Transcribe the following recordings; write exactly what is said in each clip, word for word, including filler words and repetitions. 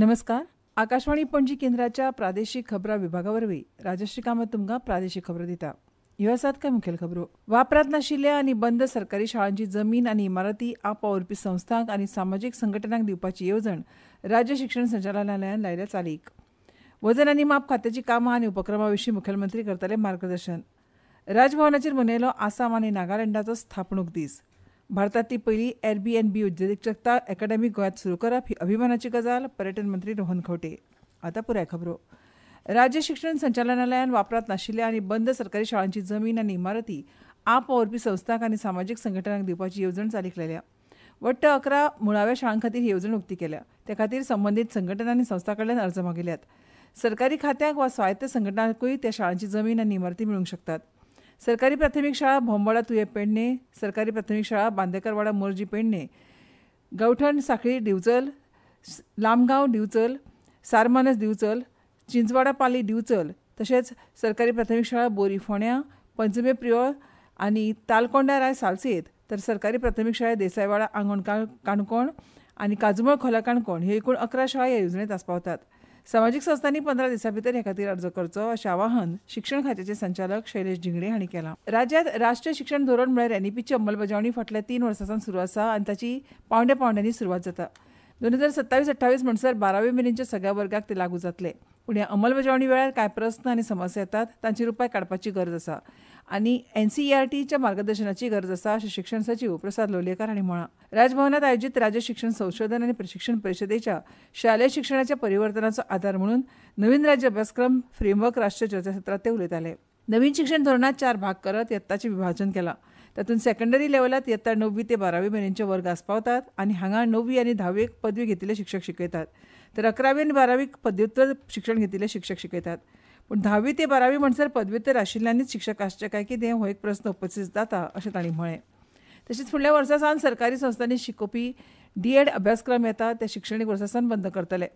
नमस्कार. आकाशवाणी पणजी केंद्राच्या प्रादेशीक खबरां विभागा वरवीं राजश्री कामत तुमकां प्रादेशीक खबरो दिता. ह्यो आसात कांय मुखेल खबरो. वापरांत नाशिल्ल्या आनी बंद सरकारी शाळांची जमीन आनी इमारती आपवावुरपी संस्थांक आनी सामाजीक संघटनांक दिवपाची येवजण राज्य शिक्षण संचालनालयान लायल्या चालीक. वजन आनी माप खात्याची कामां आनी उपक्रमा विशीं मुखेलमंत्री करतले मार्गदर्शन. राजभवनाचेर मनयलो आसाम आनी नागालँडाचो स्थापणूक दीस. भारतांतली पयली एअरबीएनबी उद्देजकता अकादमी गोंयांत सुरू करप ही अभिमानाची गजाल, पर्यटन मंत्री रोहन खंवटे. आतां पुराय खबरो. राज्य शिक्षण संचालनालयान वापरांत नाशिल्ल्या आनी बंद सरकारी शाळांची जमीन आनी इमारती आपवावुरपी संस्थांक आनी सामाजीक संघटनांक दिवपाची येवजण चालीक लायल्या. वट्ट अकरा मुळाव्या शाळां खातीर ही येवजण उक्ती केल्या. ते खातीर संबंदीत संघटना आनी संस्थां कडल्यान अर्ज मागयल्यात. सरकारी खात्यांक वा स्वायत्त संघटनांकूय त्या शाळांची जमीन आनी इमारती मेळूंक शकतात. सरकारी प्राथमीक शाळा भोंबवाडा तुये पेडणे, सरकारी प्राथमीक शाळा बांदेकरवाडा मोरजी पेडणे, गवठण साखळी दिवचल, लामगांव दिवचल, सारमानस दिवचल, चिंचवाडा पाली दिवचल, तशेंच सरकारी प्राथमीक शाळा बोरी फोंड्या, पंचमे प्रियोळ आनी तालकोंडा राय सालसेत, तर सरकारी प्राथमीक शाळा देसायवाडा आंगण काणकोण आनी काजुमळ खोला काणकोण ह्यो एकूण अकरा शाळा ह्या येवजणेंत आस्पावतात. सामाजीक संस्थांनी पंदरा दिसां भितर हे खातीर अर्ज करचो अशें आवाहन शिक्षण खात्याचे संचालक शैलेश झिंगडे हांणी केलां. राज्यांत राष्ट्रीय शिक्षण धोरण म्हळ्यार एनईपीची अंमलबजावणी फाटल्या तीन वर्सां सावन सुरू आसा आनी ताची पावंड्या पावंड्यांनी सुरवात जाता. दोन हजार सत्तावीस अठ्ठावीस म्हणसर बारावी मेरेनच्या सगळ्या वर्गाक ते लागू जातले. पूण ह्या अंमलबजावणी वेळार कांय प्रस्न आनी समस्या येतात तांचेर उपाय काडपाची गरज आसा आनी एनसीईआरटीच्या मार्गदर्शनाची गरज आसा अशें शिक्षण सचीव प्रसाद लोलयेकार हांणी म्हळां. राजभवनात आयोजीत राज्य शिक्षण संशोधन आनी प्रशिक्षण परिशदेच्या शालेय शिक्षणाच्या परिवर्तनाचो आदार म्हणून नवीन राज्य अभ्यासक्रम फ्रेमवर्क राष्ट्रीय चर्चासत्रांत ते उलयताले. नवीन शिक्षण धोरणांत चार भाग करत यत्ताचें विभाजन केलां. तातूंत सेकंडरी लेव्हलांत यत्ता णववी ते बारावी मेरेनचे वर्ग आस्पावतात आनी हांगा णववी आनी धावेक पदवी घेतिल्ले शिक्षक शिकयतात, तर अकरावी आनी बारावीक पदव्युत्तर शिक्षण घेतिल्ले शिक्षक शिकयतात. पूण धावी ते बारावी म्हणसर पदव्युत्तर आशिल्ल्यांनीच शिक्षक आसचे काय कितें हो एक प्रस्न उपस्थित जाता अशें तांणी म्हळें. तशेंच फुडल्या वर्सा सावन सरकारी संस्थांनी शिकोवपी डीएड अभ्यासक्रम येता ते शिक्षणीक वर्सा सावन बंद करतले,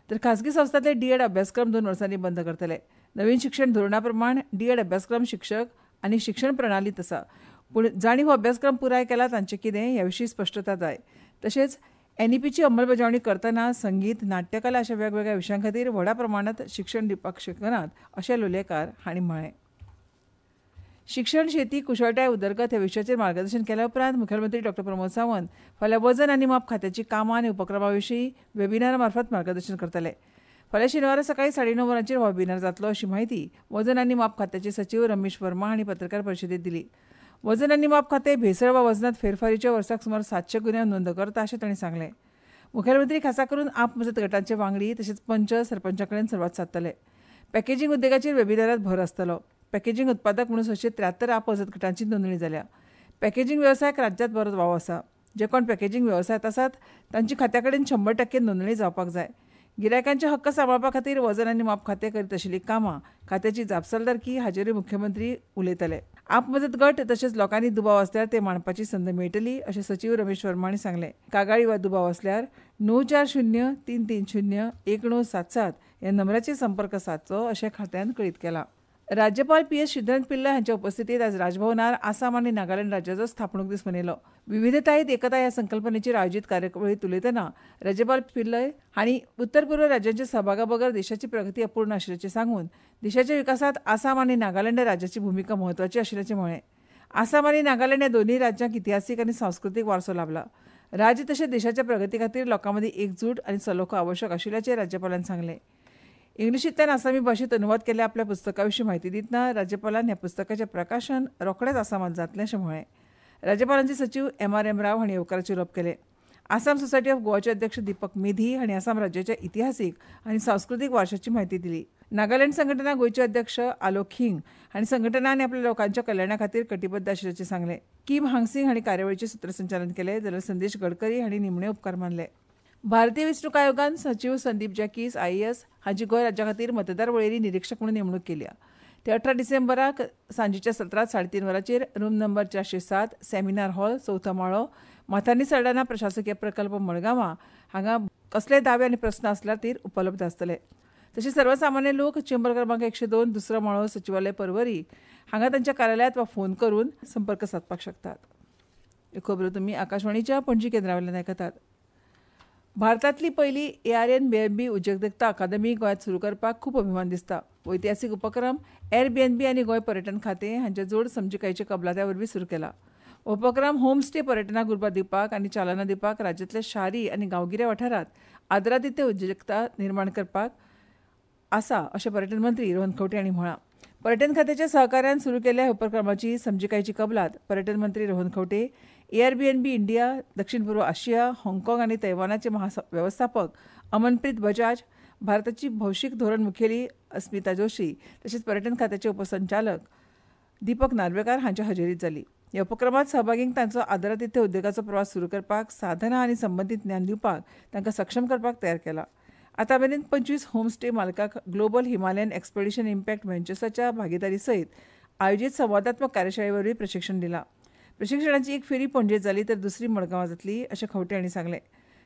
तर खासगी संस्थांतले डीएड अभ्यासक्रम दोन वर्सांनी बंद करतले. नवीन शिक्षण धोरणा प्रमाण डीएड अभ्यासक्रम शिक्षक आनी शिक्षण प्रणालीत आसा, पूण जांणी हो अभ्यासक्रम पुराय केला तांचें कितें ह्या विशीं स्पश्टता जाय. तशेंच एनईपीची अंमलबजावणी करतना संगीत, नाट्यकला अशा वेगवेगळ्या विशयां खातीर व्हडा प्रमाणांत शिक्षण दिवपाक शकनात अशें लोलयेकार हांणी म्हळें. शिक्षण, शेती, कुशळटाय उदरगत ह्या विशयाचेर मार्गदर्शन केल्या उपरांत मुखेलमंत्री डॉ प्रमोद सावंत फाल्यां वजन आनी माप खात्याची कामां आनी उपक्रमा विशीं वेबिनारा मार्फत मार्गदर्शन करतले. फाल्यां शेनवारा सकाळीं साडे णव वरांचेर हो वेबिनार जातलो अशी म्हायती वजन आनी माप खात्याचे सचीव रमेश वर्मा हांणी पत्रकार परिशदेंत दिली. वजन आनी माप खातें भेसळ वा वजनांत फेरफारीच्या वर्साक सुमार सातशे गुन्यांव नोंद करता अशें तांणी सांगलें. मुखेलमंत्री खासा करून आप मजत गटांचे वांगडी तशेंच पंच सरपंचा कडेन संवाद सादतले. पॅकेजींग उद्देगाचेर वेबिनारांत भर आसतलो. पॅकेजींग उत्पादक म्हणून सशे त्र्यात्तर आप मजत गटांची नोंदणी जाल्या. पॅकेजींग वेवसायाक राज्यांत बरोच वाव आसा. जे कोण पॅकेजींग वेवसायांत आसात तांची खात्या कडेन शंबर टक्के नोंदणी जावपाक जाय. गिरायकांचे हक्क सांबाळपा खातीर वजन आनी माप खातें करीत आशिल्लीं कामां, खात्याची जापसालदारकी हाचेरूय मुख्यमंत्री उलयतले. आप मजत गट तशेंच लोकांनी दुबाव आसल्यार ते मांडपाची संद मेळटली अशें सचीव रमेश वर्मा हांणी सांगलें. कागाळी वा दुबाव आसल्यार णव चार शून्य तीन तीन शून्य एक णव सात सात ह्या नंबराचेर संपर्क सादचो अशें खात्यान कळीत केलां. राज्यपाल पी एस श्रीधरन पिल्लय हांच्या उपस्थितीत आज राजभवनार आसाम आनी नागालँड राज्याचो स्थापणूक दीस मनयलो. विविधतायेत एकता ह्या संकल्पनेचेर आयोजीत कार्यावळींत उलयतना राज्यपाल पिल्लय हांणी उत्तर पूर्व राज्यांच्या सहभागा बगर देशाची प्रगती अपूर्ण आशिल्ल्याचें सांगून देशाच्या विकासांत आसाम आनी नागालँड राज्याची भुमिका म्हत्वाची आशिल्ल्याचें म्हळें. आसाम आनी नागालँड ह्या दोनूय राज्यांक इतिहासीक आनी सांस्कृतीक वारसो लाभला. राज्य तशेंच देशाच्या प्रगती खातीर लोकां मदीं एकजूट आनी सलोखो आवश्यक आशिल्ल्याचें राज्यपालान सांगलें. इंग्लिशींतल्यान आसामी भाशेंत अनुवाद केल्ल्या आपल्या पुस्तका विशीं म्हायती दितना राज्यपालान ह्या पुस्तकाचें प्रकाशन रोखडेंच आसामांत जातलें अशें म्हळें. राज्यपालांचे सचीव एम आर एम राव हांणी येवकाराचें उलोवप केलें. आसाम सोसायटी ऑफ गोवाचे अध्यक्ष दीपक मेधी हांणी आसाम राज्याच्या इतिहासीक आनी सांस्कृतीक वारशाची म्हायती दिली. नागालँड संघटना गोंयचे अध्यक्ष आलोक हिंग हांणी संघटना आनी आपल्या लोकांच्या कल्याणा खातीर कटिबद्ध आशिल्ल्याचें सांगलें. किम हांगसिंग हांणी कार्यावळीचें सुत्रसंचालन केलें जाल्यार संदेश गडकरी हांणी निमणे उपकार मानले. भारतीय वेंचणूक आयोगान सचीव संदीप जॅकीस आयएएस हांची गोंय राज्या खातीर मतदार वळेरी निरिक्षक म्हणून नेमणूक केल्या. ते अठरा डिसेंबराक सांजेच्या सत्रांत साडेतीन वरांचेर रूम नंबर चारशे सात सेमिनार हॉल, चवथो माळो, माथानी सल्डाना प्रशासकीय प्रकल्प, मडगांवां हांगा कसले दावे आनी प्रस्न आसल्यार ते उपलब्ध आसतले. तशेंच सर्वसामान्य लोक चेंबर क्रमांक एकशे दोन दुसरो माळो, सचिवालय, परवरी हांगा तांच्या कार्यालयांत वा फोन करून संपर्क सादपाक शकतात. ह्यो खबरो तुमी आकाशवाणीच्या पणजी केंद्रा वयल्यान आयकतात. भारतांतली पयली A R N B N B उद्देजकता अकादमी गोंयांत सुरू करपाक खूब अभिमान दिसता. ऐतिहासीक उपक्रम एअरबीएनबी आनी गोंय पर्यटन खातें हांच्या जोड समजिकायेच्या कबलात्या वरवीं सुरू केला. उपक्रम होमस्टे पर्यटनाक उर्बा दिवपाक आनी चालना दिवपाक राज्यांतल्या शारी आनी गांवगिऱ्या वाठारांत आदरातिथ्य उद्देजकता निर्माण करपाक आसा अशें पर्यटन मंत्री रोहन खंवटे हांणी म्हळां. पर्यटन खात्याच्या सहकार्यान सुरू केल्ल्या ह्या उपक्रमाची समजिकायेची कबलात पर्यटन मंत्री रोहन खंवटे, एअरबीएनबी इंडिया, दक्षिण पूर्व आशिया, हाँगकाँग आनी तैवानाचे महावेवस्थापक अमनप्रीत बजाज, भारताची भौशीक धोरण मुखेली अस्मिता जोशी तशेंच पर्यटन खात्याचे उपसंचालक दीपक नार्वेकार हांच्या हजेरीत जाली. ह्या उपक्रमांत सहभागींक तांचो आदरातिथ्य उद्देगाचो प्रवास सुरू करपाक साधनां आनी संबंदीत ज्ञान दिवपाक तांकां सक्षम करपाक तयार केला. आतां मेरेन पंचवीस होमस्टे मालकांक ग्लोबल हिमालयन एक्सपेडिशन इम्पॅक्ट व्हेंचर्साच्या भागिदारी सयत आयोजीत संवादात्मक कार्यशाळे वरवीं प्रशिक्षण दिलां. प्रशिक्षणाची एक फेरी पणजेत जाली तर दुसरी मडगांवां जातली अशें खंवटे हांणी सांगलें.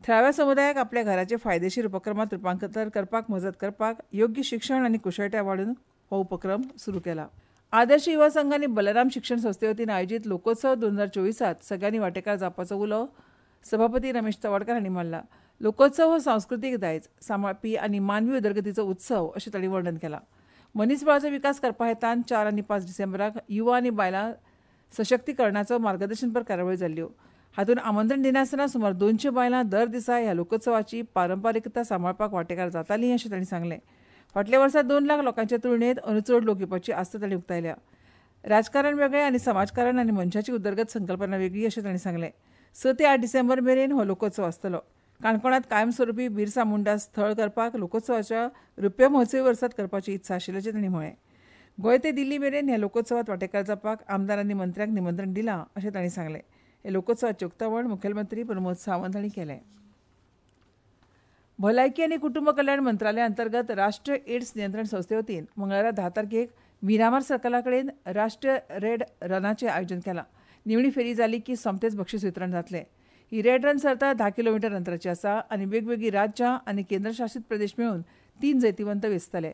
थळाव्या समुदायाक आपल्या घराचे फायदेशीर उपक्रमांत रुपांतर करपाक मजत करपाक योग्य शिक्षण आनी कुशळटाय वाडून हो उपक्रम सुरू केला. आदर्श युवा संघ आनी बलराम शिक्षण संस्थे वतीन आयोजीत लोकोत्सव दोन हजार चोवीसांत सगळ्यांनी वांटेकार जावपाचो उलो सभापती रमेश तवडकार हांणी मारला. लोकोत्सव हो सांस्कृतीक दायज सांबाळपी आनी मानवी उदरगतीचो उत्सव अशें तांणी वर्णन केलां. मनीसबळाचो विकास करपा हेतान चार आनी पांच डिसेंबराक युवा आनी बायलां सशक्तीकरणाचो मार्गदर्शनपर कार्यावळी जाल्ल्यो. हातूंत आमंत्रण दिनासतना सुमार दोनशे बायलां दर दिसा ह्या लोकोत्सवाची पारंपारिकता सांबाळपाक वांटेकार जातालीं अशें तांणी सांगलें. फाटल्या वर्सा दोन लाख लोकांच्या तुलनेत अंदू चड लोक येवपाची आस्त तांणी उक्तायल्या. राजकारण वेगळें आनी समाजकारण आनी मनशाची उदरगत संकल्पना वेगळी अशें तांणी सांगलें. स ते आठ डिसेंबर मेरेन हो लोकोत्सव आसतलो. काणकोणांत कायमस्वरुपी बिरसा मुंडा स्थळ करपाक लोकोत्सवाच्या रुप्या महोत्सवी वर्सांत करपाची इत्सा आशिल्ल्याचें तांणी म्हळें. गोंय ते दिल्ली मेरेन ह्या लोकोत्सवांत वांटेकार जावपाक आमदार आनी मंत्र्यांक निमंत्रण दिलां अशें तांणी सांगलें. हे लोकोत्सवाचें उक्तावण मुखेलमंत्री प्रमोद सावंत हांणी केलें. भलायकी आनी कुटुंब कल्याण मंत्रालया अंतर्गत राष्ट्रीय एड्स नियंत्रण संस्थे वतीन मंगळारा धा तारखेक मिरामार सर्कला कडेन राष्ट्रीय रेड रनाचें आयोजन केलां. निमणी फेरी जाली की सोमतेच बक्षीस वितरण जातलें. ही रेड रन सर्त धा किलोमिटर अंतराची आसा आनी वेगवेगळीं राज्यां आनी केंद्रशासीत प्रदेश मेळून तीन जैतिवंत वेंचतले.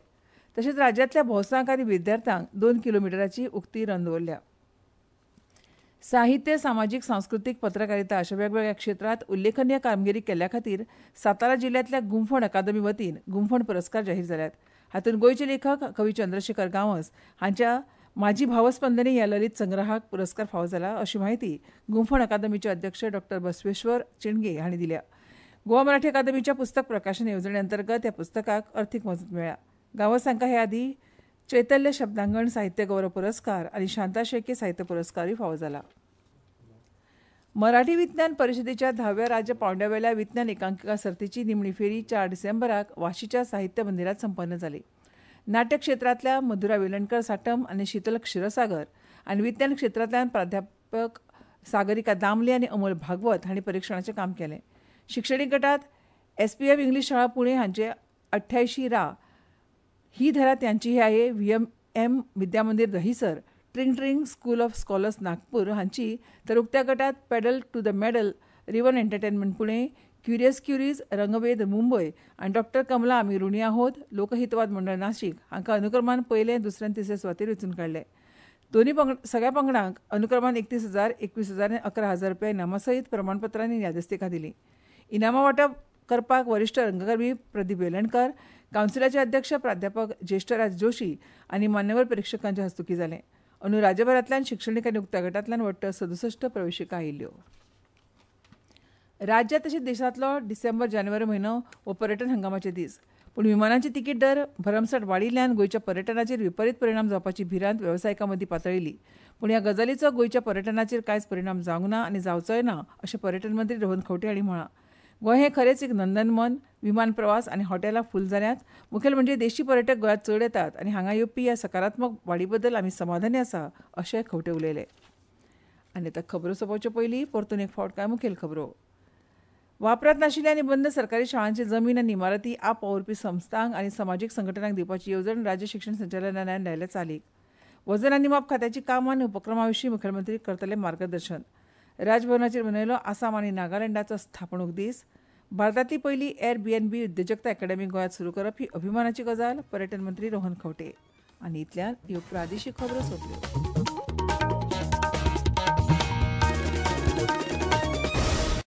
तशेंच राज्यांतल्या भौसांक आनी विद्यार्थ्यांक दोन किलोमिटराची उक्ती रन दवरल्या. साहित्य, सामाजीक, सांस्कृतीक, पत्रकारिता अशा वेगवेगळ्या क्षेत्रांत उल्लेखनीय कामगिरी केल्ल्या खातीर सातारा जिल्ह्यांतल्या गुंफण अकादमी वतीन गुंफण पुरस्कार जाहीर जाल्यात. हातूंत गोंयचे लेखक कवी चंद्रशेखर गांवस हांच्या माझी भावस्पंदने ह्या ललित संग्रहाक पुरस्कार फावो जाला अशी माहिती गुंफण अकादमीचे अध्यक्ष डॉक्टर बसवेश्वर चिणगे हांणी दिल्या. गोवा मराठी अकादमीच्या पुस्तक प्रकाशन येवजणे अंतर्गत ह्या पुस्तकाक अर्थीक मजत मेळ्ळ्या. गांवस हांकां हे आदीं चैतन्य शब्दांगण साहित्य गौरव पुरस्कार आनी शांता शेळके साहित्य पुरस्कारूय फावो जाला. मराठी विज्ञान परिशदेच्या धाव्या राज्य पांवड्यावेल्या विज्ञान एकांकिका सर्तीची निमणी फेरी चार डिसेंबराक वाशीच्या साहित्य मंदिरात संपन्न जाली. नाट्य क्षेत्रांतल्या मधुरा वेलणकर साटम आनी शीतल क्षीरसागर आनी विज्ञान क्षेत्रांतल्यान प्राध्यापक सागरिका दामले आनी अमोल भागवत हांणी परिक्षणाचें काम केलें. शिक्षणीक गटात एसपीएम इंग्लीश शाळा पुणे हांचे अठ्ठ्यायशीं रा ही धरा त्यांची ही आहे V M M Vidyamandir Dahisar, Tring Tring school of scholars Nagpur हांची, तर उक्त्या गटात pedal to the medal Rivan entertainment Pune, curious curies Rangved Mumbai आनी डॉक्टर कमला आमी ऋणी आहोत लोकहितवाद मंडळ नाशिक हांकां अनुक्रमान पयले, दुसरे आनी तिसरे सुवातेर वेंचून काडले. दोन्ही पंगड सगळ्या पंगडांक अनुक्रमान एकतीस हजार, एकवीस हजार आनी अकरा हजार रुपया इनामां सयत प्रमाणपत्रां आनी यादस्तिकां दिलीं. इनामां वांटप करपाक वरिश्ठ रंगकर्मी प्रदीप वेलणकर, कावन्सिलाचे अध्यक्ष प्राध्यापक ज्येष्ठराज जोशी आनी मान्यवर परिक्षकांच्या हस्तुकीं जालें. अंदू राज्यभरांतल्यान शिक्षणीक आनी उक्त्या गटांतल्यान वट्ट सदुसश्ट प्रवेशिका आयिल्ल्यो. राज्यांत तशेंच देशांतलो डिसेंबर जानेवारी म्हयनो हो पर्यटन हंगामाचे दीस, पूण विमानांचे तिकीट दर भरमसाठ वाडिल्ल्यान गोंयच्या पर्यटनाचेर विपरीत परिणाम जावपाची भिरांत वेवसायिकां मदीं पातळिल्ली. पूण ह्या गजालीचो गोंयच्या पर्यटनाचेर कांयच परिणाम जावंक ना आनी जावचोय ना अशें पर्यटन मंत्री रोहन खंवटे हांणी म्हळां. गोंय हें खरेंच एक नंदनवन, विमान प्रवास आनी हॉटेलां फूल जाल्यांत. मुखेल म्हणजे देशी पर्यटक गोंयांत चड येतात आनी हांगा येवपी ह्या सकारात्मक वाडी बद्दल आमी समाधानी आसा अशें खंवटे उलयले. आनी आतां खबरो सोंपोवचे पयलीं परतून एक फावट कांय मुखेल खबरो. वापरांत नाशिल्ल्या आनी बंद सरकारी शाळांची जमीन आनी इमारती आप वावुरपी संस्थांक आनी समाजीक संघटनांक दिवपाची येवजण राज्य शिक्षण संचालनालयान लायल्या चालीक. वजन आनी माप खात्याची कामां आनी उपक्रमा विशीं मुखेलमंत्री करतले मार्गदर्शन. राजभवनाचेर मनयलो आसाम आनी नागालँडाचो स्थापणूक दीस. भारतांतली पयली एअरबीएनबी उद्देजकता अकॅडमी गोंयांत सुरू करप ही अभिमानाची गजाल, पर्यटन मंत्री रोहन खंवटे. आनी इतल्यान ह्यो प्रादेशीक खबरो सोंपल्यो.